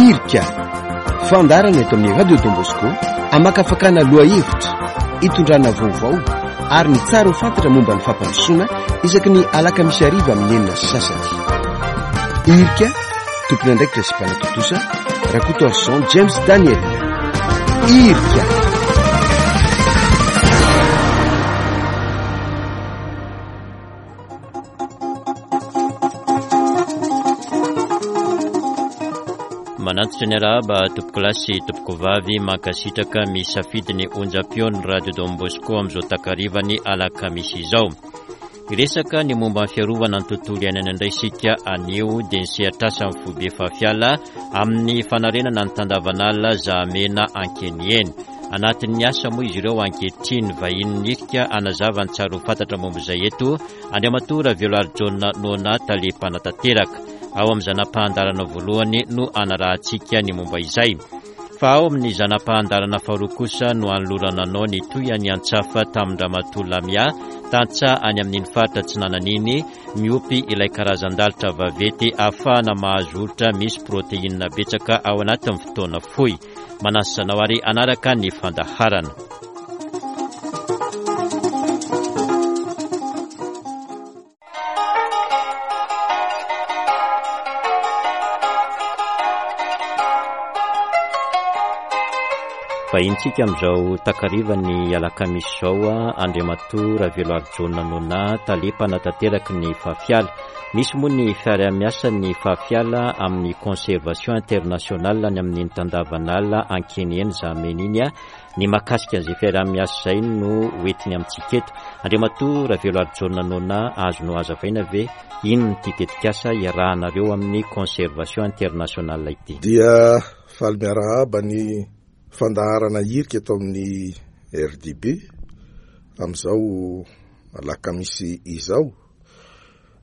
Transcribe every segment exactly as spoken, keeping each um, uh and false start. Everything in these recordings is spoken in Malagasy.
Irika, fandaharana eto amin'ny Radio Don Bosco, amakafakana lohahevitra, itondrana vaovao ary ny tsara ho fantatra momba ny fampandrosoana isaky ny alakamisy hariva amin'ny enina sy sasany. Irika, tompon'andraikitra sy mpanatontosa, Rakotoarison James Daniel. Irika. Manantitra ny arahaba tompokolahy sy tompokovavy, mankasitraka misafidy ny onjam-peon'ny Radio Don Bosco amin'izao takarivany alakamisy izao. Hiresaka ny momba ny fiarovana ny tontolo iainana indray isika anio, dia ny sehatr'asan'ny foibe Fafiala amin'ny fanarenana ny tandavanala Zahamena Ankeniheny. Anatin'ny asa moa izy ireo ankehitriny. Vahinin'ny Irika hanazava ny tsara ho fantatra momba izay eto Andriamatoa Raveloarijaona Nona, tale mpanatanteraka. Ao amin'ny zana-pahandarana voalohany no anarahantsika ny momba izay. Fa ao amin'ny zana-pahandarana faharoa kosa no anolorana anao ny tohiny antsafa tamin-dRamatoa Lamia, tantsaha any amin'iny faritra Atsinanana iny, miompy ilay karazan-dalitra vaventy ahafahana mahazo olitra misy protéine betsaka ao anatin'ny fotoana fohy. Manasa anao ary hanaraka ny fandaharana. Vahintsika amin'izao takarivany alakamisy izao Andriamatoa Raveloarijaona Nona, tale mpanatanteraka ny Fafiala. Misy moa ny fiaraha-miasa ny Fafiala amin'ny Conservation Internationale any amin'iny tandavanala Ankeniheny Zahamena iny. Ny mahakasika an'izay fiaraha-miasa izay no hoentiny amintsika eto. Andriamatoa Raveloarijaona Nona, azonao hazavaina ve inona ity tetikasa iarahanareo amin'ny Conservation Internationale ity? Dia faly miarahaba ny fandaharana Irika eto amin'ny R D B amin'izao alakamisy izao,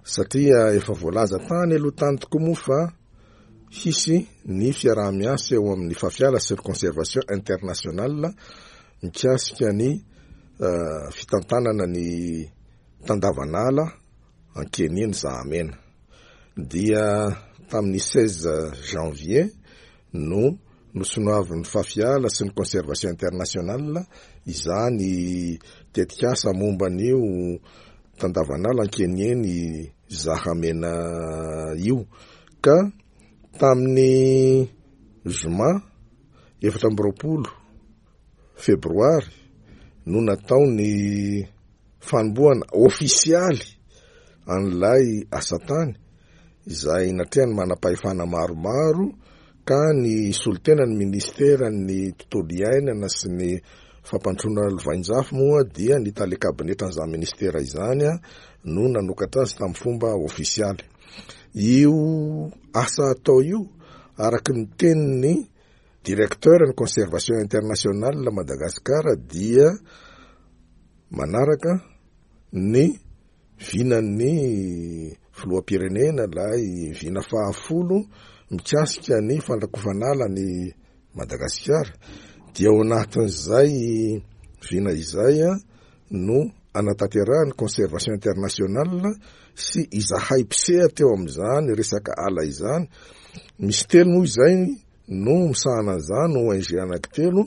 satria efa voalaza tany aloha tany tokoa moa fa hisy ny fiaraha-miasa eo amin'ny Fafiala sy ny Conservation Internationale mikasika ny, eh, fitantanana ny tandavanala Ankeniheny Zahamena. Dia tamin'ny seize janvier no nosonoavin'ny Fafiala sy ny Conservation Internationale izany tetikasa momba an'io tandavanala Ankeniheny Zahamena io. Ka tamin'ny zoma efatra amby roapolo febroary no natao ny fanombohana ofisialy an'ilay asa tany izay natrehan'ny manam-pahefana maromaro, ka ny solotenan'ny ministeran'ny tontolo iainana sy ny fampandrosoana lovainjafy moa dia ny tale kabinetran'izany ministera izany no nanokatra azy tamin'ny fomba ofisialy. Io asa atao io, araka ny tenin'ny directeur ny Conservation Internationale Madagascar, dia manaraka ny vinan'ny filoham-pirenena ilay vina fahafolo mikasika ny fandrakofanala ny Madagasikara. Dia ao anatin'izay vina izay no anatanterahany Conservation Internationale sy izahay mpisehatra teo amin'izany resaka ala izany. Misy telo moa izay no misahana an'izany, O N G anankitelo,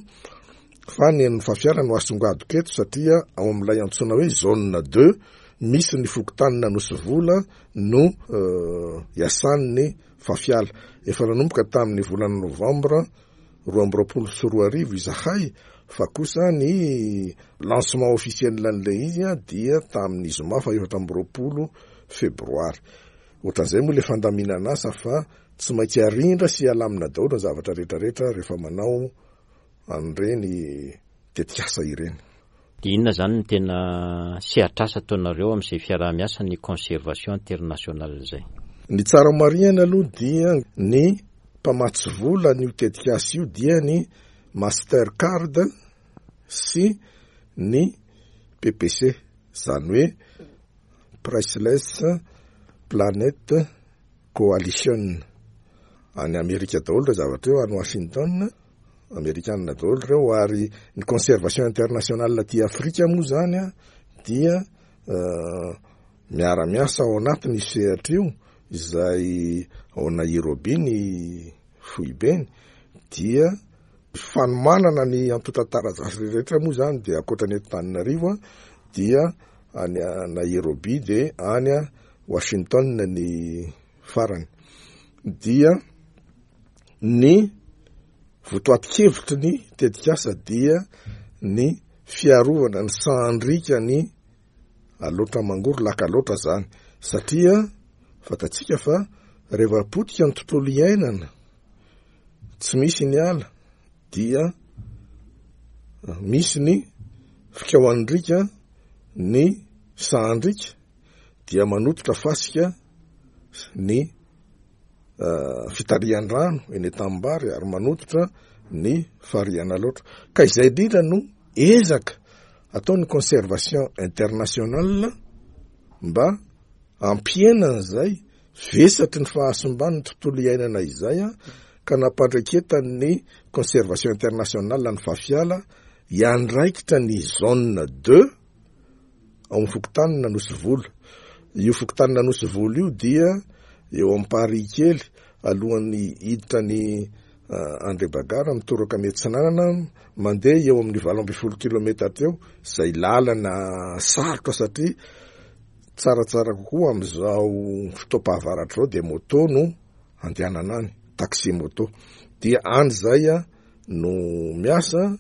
fa ny an'ny Fafiala no asongadiko eto satria ao amin'ilay antsoina hoe zone deux misy ny fokontanina Anosivola no, euh, iasan'ny Fafiala. Efa nanomboka tamin'ny volana novambra roa amby roapolo sy roa arivo izahay, fa kosa ny lancement officiel an'ilay izy a, dia tamin'ny zoma faha efatra amby roapolo febroary. Ohatran'izay moa ilay fandaminana asa fa tsy maintsy arindra sy alamina daholo ny zavatra rehetrarehetra rehefa manao an'ireny tetikasa ireny. Dia inona izany no tena sehatr'asa ataonareo amin'izay fiaraha-miasa ny Conservation Internationale izay? Ny tsara marihana aloha dia ny mpamatsy vola an'io tetikasa io dia ny Mastercard sy ny P P C, izany hoe Priceless Planet Coalition. Any Amerika daholo ireo zavatra ireo, any Washington, Amerikana daholo ireo. Ary ny Conservation Internationale aty Afrika moa izany a, dia, eh, miara-miasa ao anatin'io sehatra io, izay ao Nairobi ny foibeny. Dia fanomanana ny antontan-taratasy rehetra moa zany dia ankoatra ny eto Antananarivo dia any Nairobi, de any Washington ny farany. Dia ny votoatin-kevitry ny tetikasa dia ny fiarovana ny sahandriaka ny Alaotra Mangoro, Lac Alaotra zany, satria fantatsika fa rehefa potika ny tontolo iainana, tsy misy ny ala, dia misy ny fikaohandrika ny sahandrika, dia manototra fasika ny fitarihan-drano eny an-tanimbary ary manototra ny farihan'Alaotra. Ka izay indrindra no ezaka ataon'ny Conservation Internationale mba hampihenana izay vesatry ny fahasimban'ny tontolo iainana izay, a ka nampandraketany Conservation Internationale ny Fafiala hiandraikitra ny zone deux ao amin'ny fokontanina Nosivola. Io fokontanina Nosivola io dia eo am-parihy kely alohan'ny hiditra ny Andrebagara, mitoraka miatsinanana, mandeha eo amin'ny valo amby folo kilometatra eo zay, lalana sarotra satria tsaratsara kokoa am'izao fotoam-pahavaratra zao de moto no andehanana any, taxi moto. Dia any zay a no miasa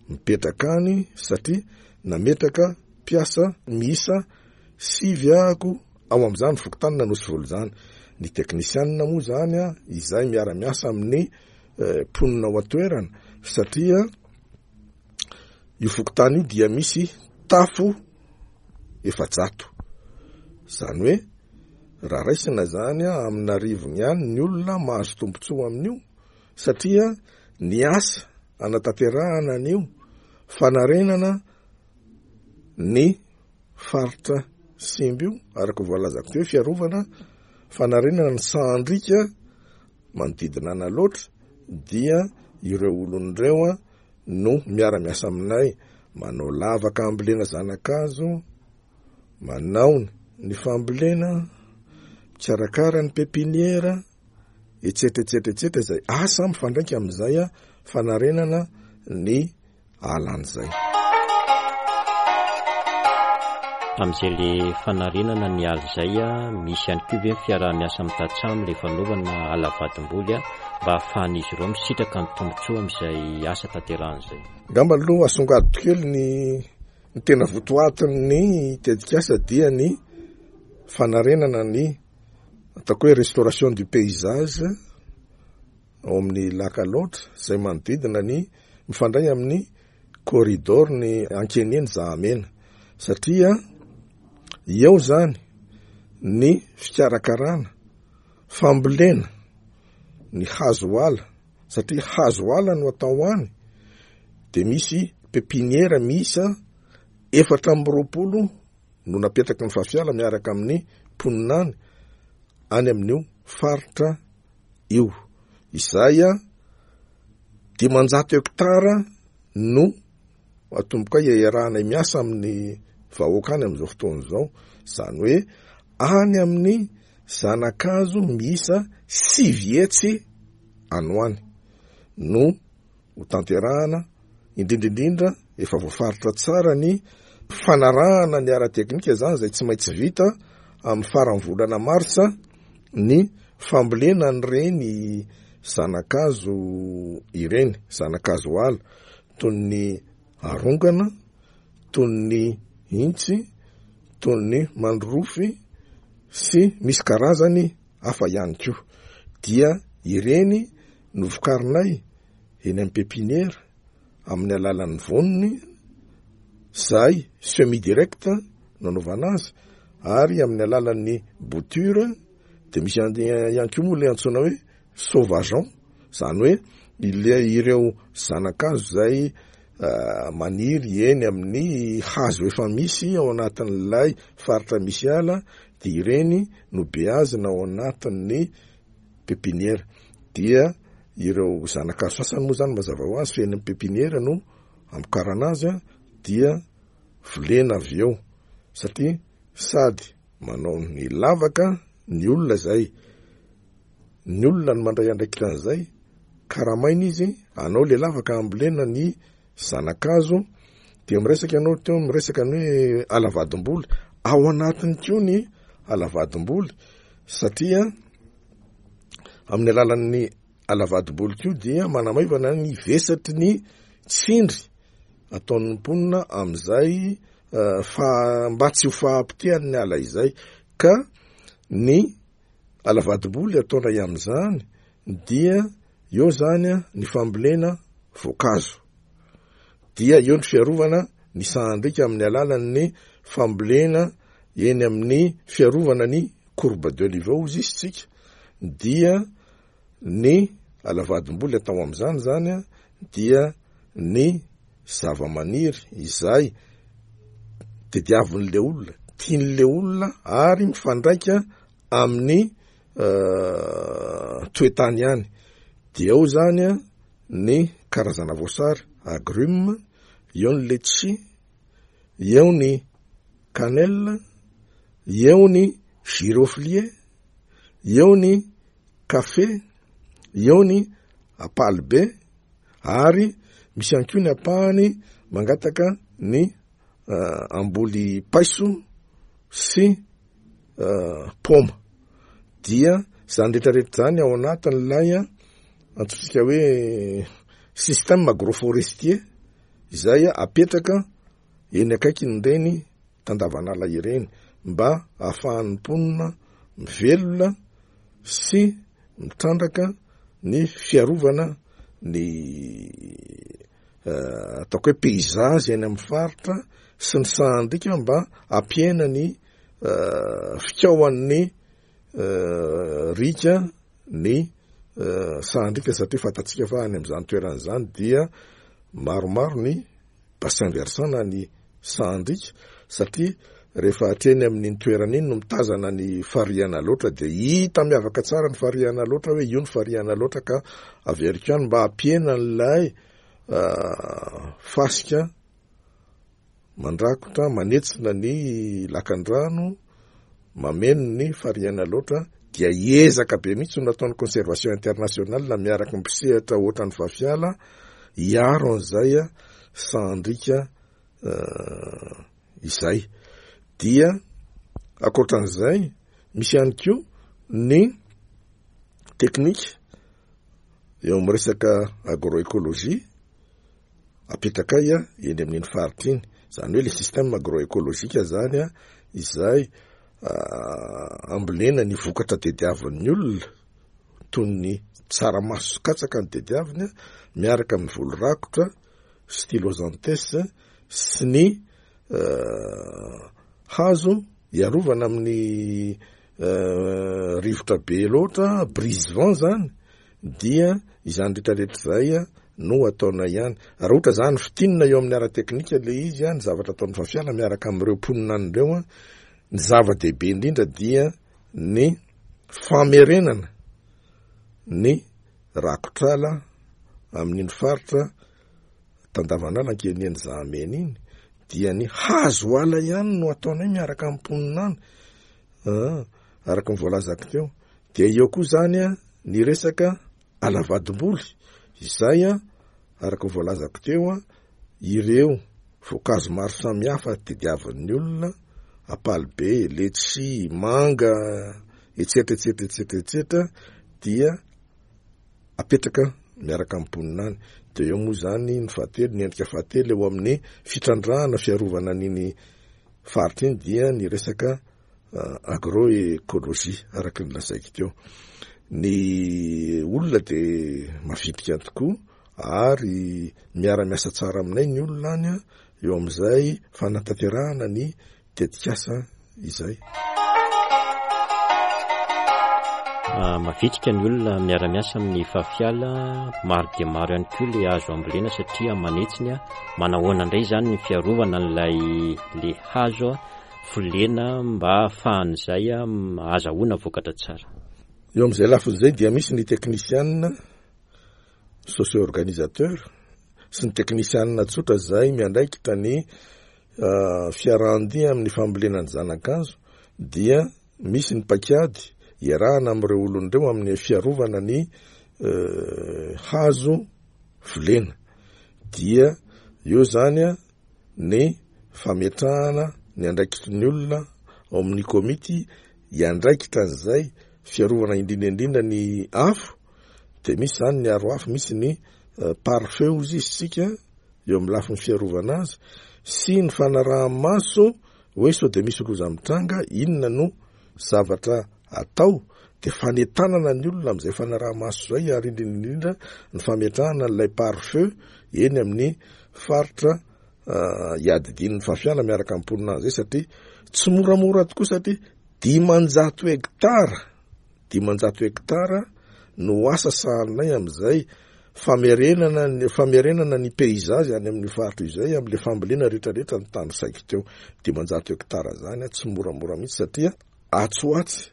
mipetraka any, satria nametraka mpiasa miisa sivy ahako ao am'izany fokontanina Nosivola zany. Ny teknisianina moa zany a izay miara-miasa amin'ny mponina ao an-toerana, satria io fokontany io dia misy tafo efajato, zany hoe raha raisina zany a amin'arivony ihany ny olona mahazo tombontsoa amin'io, satria ny asa anatanterahana an'io fanarenana ny faritra simba io, araka voalazako teo hoe fiarovana, fanarenana ny sahandrika manodidina an'Alaotra, dia ireo olon'ireo a no miara-miasa aminay, manao lavaka ambolena zanakazo, manao ny fambolena, mikarakara ny pépinière, etsetra etsetra etsetra, izay asa mifandraika amin'izay a fanarenana ny alan'izay. Amin'izay le fanarenana ny ala izay a, misy ihany koa ve ny fiaraha-miasa amin'ny tantsaha amin'ilay fanaovana ala vadimboly a mba ahafahan'izy ireo misitraka ny tombontsoa amin'izay asa tanterahan'izay? Ngamba aloha asongadiko kely ny ny tena votoatin'ny tetikasa, dia ny fanarenana ny ataoko hoe restauration du paysage ao amin'ny Lac Alaotra zay manodidina ny mifandray amin'ny corridor ny Ankeneny Zahamena, satria eo zany ny fikarakarana fambolena ny hazo ala, satria hazo ala no atao any, de misy pépinière miisa efatra amby roapolo no napetraky ny Fafiala miaraka amin'ny mponina any any amin'io faritra io, izay a dimanjato hektara no atomboka iarahanay miasa amin'ny vahoaka any am'izao fotoana izao, zany hoe any amin'ny zanakazo miisa sivy hetsy anoany no ho tanterahana. Indrindraindrindra efa voafaritra tsara ny fanarahana ny ara-teknika zany zay tsy maintsy vita amin'ny faran'ny volana marsa ny fambolena ny reny zanakazo ireny, zanakazo ala toy ny arongana, toy ny intsy, toy ny mandrofy sy misy karazany hafa ihany koa. Dia ireny no vokarinay eny amin'ny pépinière amin'ny alalan'ny voniny zay semis direct no anaovana azy, ary amin'ny alalan'ny bouture. De misy ihany koa moa le antsoina hoe sauvageon, zany hoe ile ireo zanakazo zay maniry eny amin'ny hazo efa misy ao anatin'ilay faritra misy ala, de ireny no beazina ao anatin'ny pépinière. Dia ireo zanakazo sasany moa zany mazava ho azy fa eny amin'ny pépinière no amokarana azy a dia volena avy eo, satria sady manao ny lavaka ny olona zay Ny olona no mandray andraikitra an'izay, karamaina izy, anao le lavaka ambolena ny zanakazo, dia miresaka ianao teo, miresaka ny hoe alavadimboly, ao anatiny koa ny alavadimboly, satria amin'ny alalan'ny alavadimboly koa dia manamaivana ny vesatry ny tsindry ataon'ny mponina amin'izay fa mba tsy ho fahapotehan'ny ala izay. Ka ny alavadimboly ataonay amin'izany dia eo zany ny fambolena voankazo, dia eo ny fiarovana ny sahandriaka amin'ny alalan'ny fambolena eny amin'ny fiarovana ny courbe de niveau izy isika, dia ny alavadimboly atao amin'izany zany dia ny zava-maniry izay tediavin'le olona, tian'le olona ary mifandraika amin'ny toetany ihany. Dia eo zany ny karazana voasary agrume, eo ny letchi, eo ny cannelle, eo ny giroflier, eo ny kafe, eo ny ampalibe, ary misy ihany koa ny ampahany mangataka ny amboly paiso sy paoma. Dia zany rehetrarehetra zany ao anatin'ilay antsointsika hoe système agroforestier izay apetraka eny akaikin'ireny tandavanala ireny mba ahafahan'ny mponina mivelona sy mitrandraka ny fiarovana ny ataoko hoe paysage eny amin'ny faritra sy ny sahandriaka mba hampihena ny fikaohan'ny riaka ny sahandriaka, satria fantatsika fa any amin'izany toerana izany dia maromaro ny bassin versant na ny sahandriaka, satria rehefa hatreny amin'iny toerana iny no mitazana ny fariana loatra dia hita miavaka tsara ny fariana loatra hoe io ny fariana loatra, ka averiko ihany mba hampihena an'ilay fasika mandrakotra manetsina ny lakandrano mameno ny fariana loatra, dia ezaka be mihitsy no nataon'ny Conservation Internationale miaraka amin'ny mpisehatra ohatran'ny Fafiala hiaro an'izay sahandriaka izay. Dia ankoatran'izay misy ihany koa ny teknika eo amin'ny resaka agroécologie apetakay eny amin'iny faritra iny, zany hoe le système agroécologique zany izay ambolena ny vokatra tediavin'ny olona toy ny tsaramaso sy katsaka ny tediaviny miaraka amin'ny voly rakotra stylosanthes sy ny hazo hiarovana amin'ny rivotra be loatra, brise vent zany, dia izany rehetrarehetra izay no ataonay ihany. Raha ohatra zany fitinina eo amin'ny ara-teknika le izy, ny zavatra ataon'ny Fafiala miaraka amin'ireo mponina an'ireo, ny zava-dehibe indrindra dia ny famerenana ny rakotrala amin'iny faritra tandavanala ankeniany Zahamena iny, dia ny hazo ala ihany no ataonay miaraka amin'ny mponina any, araka ny voalazako teo. Dia eo koa zany ny resaka alavadimboly izay araka ny voalazako teo, ireo voankazo maro samihafa tediavin'ny olona, ampalibe, letchi, manga, etsetra etsetra etsetra etsetra, dia apetraka miaraka amin'ny mponina any. Dia eo moa zany ny fahatelo, ny endrika fahatelo eo amin'ny fitrandrahana fiarovana an'iny faritra iny dia ny resaka agroécologie araka ny lazaiko teo. Ny olona dia mavitrika tokoa ary miara-miasa tsara aminay ny olona any eo amin'izay fanatanterahana ny tetikasa izay. Mavitrika ny olona miara-miasa amin'ny Fafiala, maro dia maro ihany koa le hazo ambolena satria manetsiny. Manahoana indray zany ny fiarovana an'ilay le hazo volena mba ahafahan'izay ahazahoana vokatra tsara? Eo amin'izay lafiny izay dia misy ny teknisianina socio-organisateur sy ny teknisianina tsotra izay miandraikitra ny fiarahandia amin'ny fambolena ny zanakazo, dia misy ny paikady iarahana amin'ireo olona ireo amin'ny fiarovana ny hazo volena. Dia eo zany a ny fametrahana ny andraikitry ny olona ao amin'ny komity hiandraikitra an'izay fiarovana, indrindra indrindra ny afo. De misy zany ny aro afo, misy ny pare-feu izy isika eo amin'ny lafiny fiarovana azy sy ny fanaraha-maso hoe sao de misy loza mitranga, inona no zavatra atao, de fanentanana ny olona am'izay fanaraha-maso zay, ary indrindra indrindra ny fametrahana n'ilay pare-feu eny amin'ny faritra iadidian'ny FAFIALA miaraka amin'ny mponina zay, satria tsy moramora tokoa, satria dimanjato hektara dimanjato hektara no asa sahaninay am'izay famerenana ny famerenana ny paysage any amin'ny faritra izay am'le fambolena rehetrarehetra ny tany saiko teo. Dimanjato hektara zany a tsy moramora mihitsy, satria atsy ho atsy,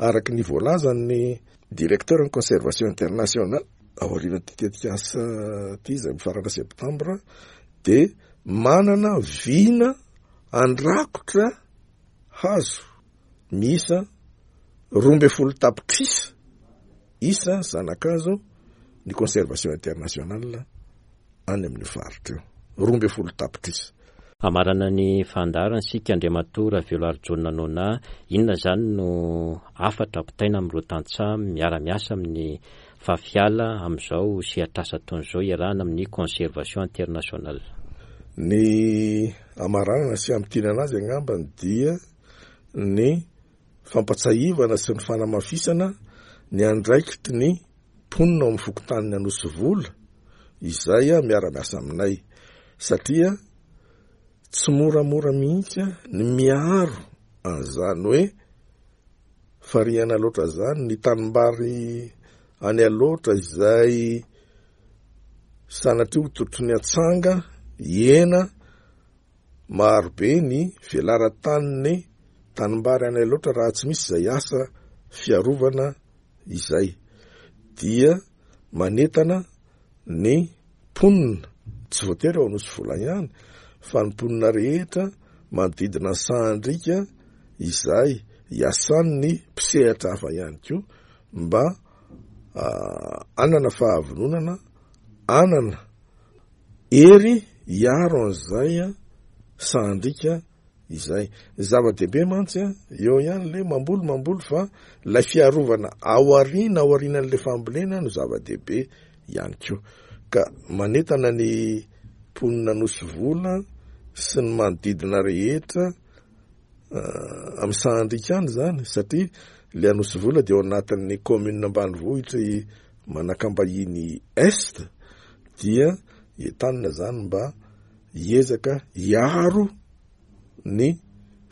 araky ny voalazany directeur ny Conservation Internationale, aorian'ity tetikasa ty zay mifarana septembre, de manana vina andrakotra hazo miisa roa amby folo tapitrisa isa zanakazo ny Conservation Internationale any amin'ny faritra io, roa amby folo tapitrisa. Amarana ny fandaharana sika, Andriamatoa Raveloarijaona Nona, inona zany no hafatra ampitaina amin'ireo tantsaha miara-miasa amin'ny FAFIALA amin'izao sehatrasa ataon'izao iarahana amin'ny Conservation Internationale? Ny amaranana sy amintinana azy angambany dia ny fampatsahivana sy ny fanamafisana ny andraikitry ny mponina ao amin'ny fokontaniny Anosivola izay a miara-miasa aminay, satria tsy moramora mihitsy ny miaro an'izany hoe fariana loatra zany ny tanimbary any aloatra izay sanatria ho totro ny atsanga ena marobe ny velaran-taniny tanimbary any aloatra raha tsy misy izay asa fiarovana izay. Dia manentana ny mponina, tsy voatery ao Anosivola ihany fa ny mponina rehetra manodidina ny sahandrika izay iasan'ny mpisehatra hafa ihany koa, mba anana fahavononana, anana hery hiaro an'izay sahandrika izay. Ny zava-dehibe mantsy a eo ihany le mamboly mamboly fa lay fiarovana aoriana aorianan'le fambolena no zava-dehibe ihany koa. Ka manentana ny mponina Anosivola sy ny manodidina rehetra amin'ny sahandrika any zany, satria le Anosivola dia ao anatin'ny commune ambanivohitra Manakambahiny Est, dia entanina zany mba hiezaka hiaro ny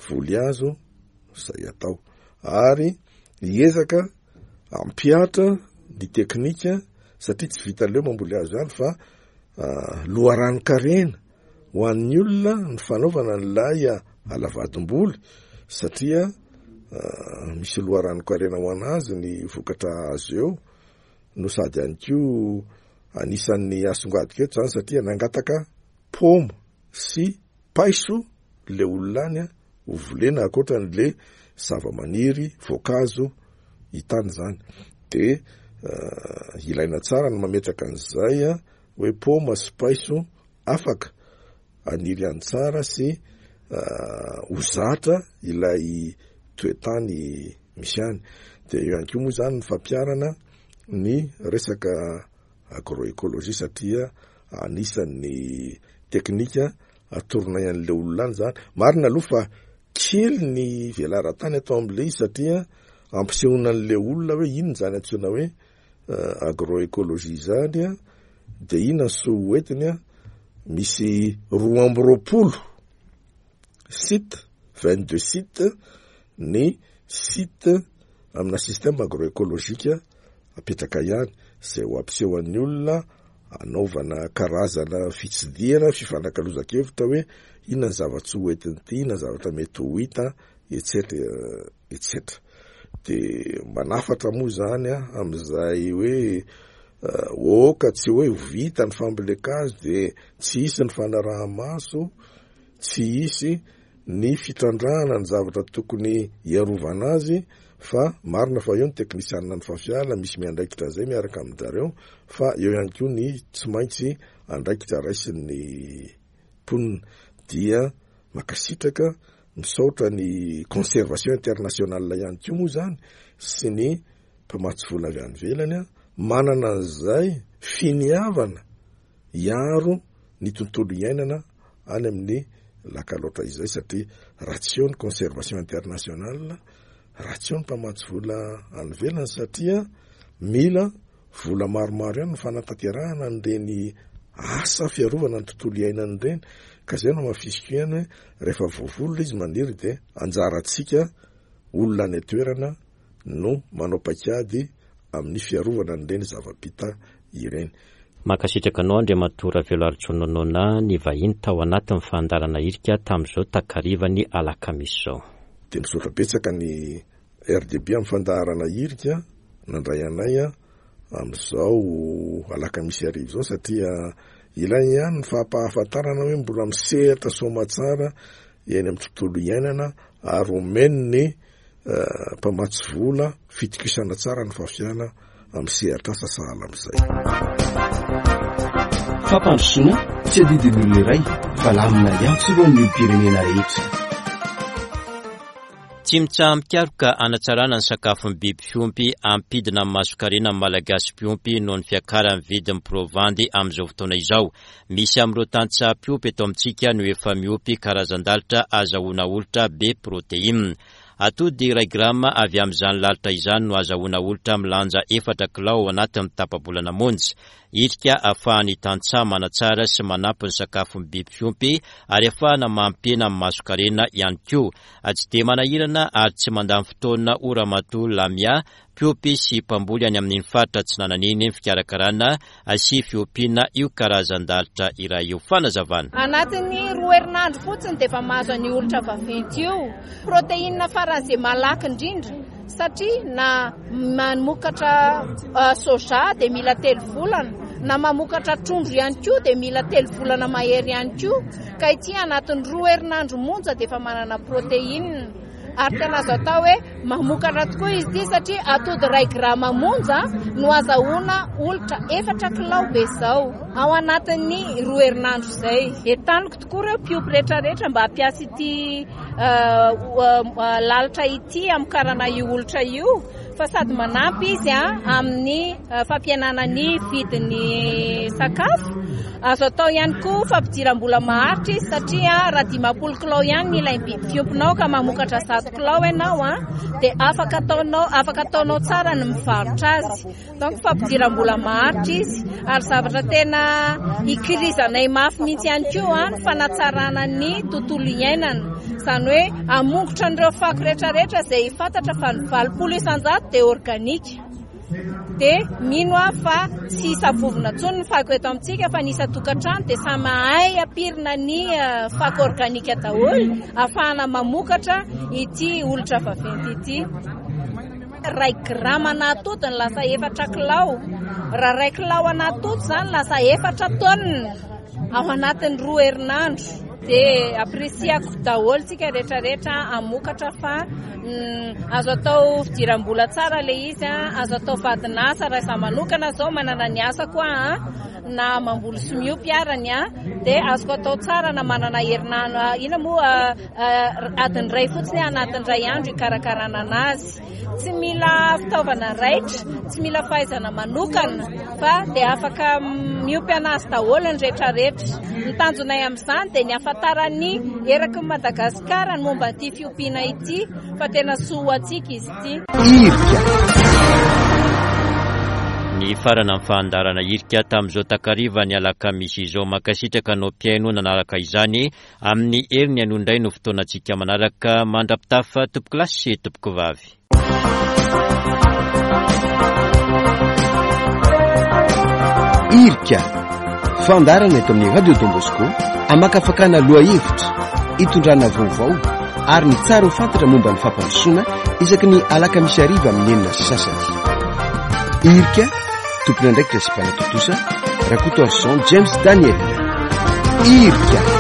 voly hazo izay atao, ary hiezaka ampihatra ny teknika, satria tsy vita leo mamboly hazo ihany fa loharanon-karena ho an'ny olona ny fanaovana n'ilay alavadimboly, satria misy loharanon-karena ho anazy ny vokatra azo eo, no sady ihany koa anisan'ny asongadika eto zany, satria nangataka paoma sy paiso le olona any ho volena ankoatran'le zava-maniry voankazo hitany zany. De ilaina tsara ny mametraka an'izay hoe paoma sy paiso afaka aniry any tsara sy ho zatra ilay toetany misy any. De eo ihany koa moa zany ny fampiharana ny resaka agroécologie, satria anisan'ny teknika atoronay an'le olona any zany. Marina aloha fa kely ny velaran-tany atao am'le izy, satria ampisehoana an'le olona hoe inona zany antsoina hoe agroécologie zany a, de inona ny soa hoentiny a. Misy roa amby roapolo site, vingt deux site, ny site amina système agroécologique apetraka ihany zay ho ampisehoan'ny olona, anaovana karazana fitsidihana, fifanakalozan-kevitra hoe inona ny zava-tsoa hoentin'ity, inona ny zavatra mety ho hita, et cetera et cetera. De manafatra moa zany a am'izay hoe oka tsy hoe vita ny fambolen-kazo de tsy hisy ny fanaraha-maso, tsy hisy ny fitrandrahana ny zavatra tokony hiarovana azy, fa marina fa eo ny teknisianina ny FAFIALA misy miandraikitra zay miaraka amin-jareo, fa eo ihany koa ny tsy maintsy andraikitra raisin'ny mponina. Dia mankasitraka, misaotra ny Conservation Internationale ihany koa moa zany sy ny mpamatsy vola avy any ivelany manana an'izay finiavana hiaro ny tontolo iainana any amin'ny Lac Alaotra izay, satria raha tsy eo ny Conservation Internationale, raha tsy eo ny mpamatsy vola any ivelany, satria mila vola maromaro ihany ny fanatanterahana an'ireny asa fiarovana ny tontolo iainana ireny. Ka zay no hamafisiko ihany hoe rehefa voavolona izy maniry dia anjarantsika olona any an-toerana no manao paikady amin'ny fiarovana an'ireny zava-bita ireny. Mankasitraka anao Andriamatoa Raveloaritson Nona ny vahiny tao anatin'ny fandaharana Irika tamin'izao takarivany alakamisy izao. Dia misaotra betsaka ny R D B amin'ny fandaharana Irika nandray anay amin'izao alakamisy hariva izao, satria ilaina ihany ny fampahafantarana hoe mbola misehatra soamatsara eny amin'ny tontolo iainana ary omen'ny mpamatsy vola fitokisana tsara ny FAFIALA amin'ny sehatra asa sahala amin'izay. Fampandrosoana tsy adidin'ny olona iray fa lamina iantsorohan'ny olom-pirenena rehetra. Tsy mitsaha-mikaroka hanatsarana ny sakafon'ny biby fiompy ampidina amin'ny masokarena ny Malagasy mpiompy noho ny fiakaran'ny vidin'ny provandy amin'izao fotoana izao. Misy amin'ireo tantsaha mpiompy eto amintsika no efa miompy karazan-dalitra azahoana olitra be proteina. Atody iray grama avy amin'izany lalitra izany no azahoana olitra milanja efatra kilao ao anatin'ny tapa-bolana monja. Irika ahafahan'ny tantsaha manatsara sy manampy ny sakafon'ny biby fiompy ary ahafahana mampihena amin'ny masokarena ihany koa. Tsy dia manahirana ary tsy mandany fotoana ho Ramatoa Lamia, mpiompy sy mpamboly any amin'iny faritra Atsinanana iny ny fikarakarana sy fiompiana io karazan-dalitra iray io. Fanazavana. Anatin'ny roa herinandro fotsiny dia efa mahazo an'io olitra vaventy io. Proteina faran'izay malaky indrindra, satria na mamokatra soja dia mila telo volana, na mamokatra trondro ihany koa dia mila telo volana mahery ihany koa. Ka ity anatin'ny roa herinandro monja dia efa manana proteina. Ary tena azo atao hoe mamokatra tokoa izy ity, satria atody iray grama monja no azahoana olitra efatra kilao be izao ao anatin'ny roa herinandro izay. Entaniko tokoa ireo mpiompy rehetrarehetra mba hampiasa ity lalitra ity hamokarana io olitra io, fa sady manampy izy amin'ny fampihenana ny vidin'ny sakafo. Azo atao ihany koa fampidiram-bola maharitra izy, satria raha dimampolo kilao ihany ny ilain'ny biby fiompinao ka mamokatra zato kilao ianao, dia afaka ataonao, afaka ataonao tsara ny mivarotra azy. Donc fampidiram-bola maharitra izy, ary zavatra tena ikirizanay mafy mihitsy ihany koa ny fanatsarana ny tontolo iainana. Izany hoe hamongotra an'ireo fako rehetrarehetra izay fantatra fa ny valopolo isan-jato dia organika. Dia mino aho fa tsy isavovona intsony ny fako eto amintsika, fa ny isan-tokantrano dia samy mahay ampirina ny fako organika daholo ahafahana mamokatra ity olitra vaventy ity. Iray grama an'atody ny lasa efatra kilao. Raha iray kilao an'atody izany lasa efatra taonina ao anatin'ny roa herinandro. Dia apresiako daholo tsika rehetrarehetra hamokatra, fa azo atao fidiram-bola tsara ilay izy, azo atao vadin'asa raha izaho manokana izao manana ny asako aho, na mamboly sy miompy arany, dia azoko atao tsara na manana herinandro, inona moa, adiny iray fotsiny anatin'ny iray andro hikarakarana anazy. Tsy mila fitaovana raitra, tsy mila fahaizana manokana, fa dia afaka miompy anazy daholo ny rehetrarehetra. Ny tanjonay amin'izany dia ny hahafantaran'ny eraky ny Madagasikara ny momba ity fiompiana ity, fa tena soa ho antsika izy ity. Irika. Ny farana ny fandaharana Irika tamin'izao takariva ny alakamisy izao. Mankasitraka anao mpihaino nanaraka izany. Amin'ny heriny anio indray no fotoanantsika manaraka. Mandra-pitafa tompoko lahy sy tompoko vavy. Irika, fandaharana eto amin'ny Radio Don Bosco, amakafakana lohahevitra, itondrana vaovao ary ny tsara ho fantatra momba ny fampandrosoana isaky ny alakamisy hariva amin'ny enina sy sasany. Irika, tompon'andraikitra sy mpanatontosa, Rakotoarison James Daniel. Irika.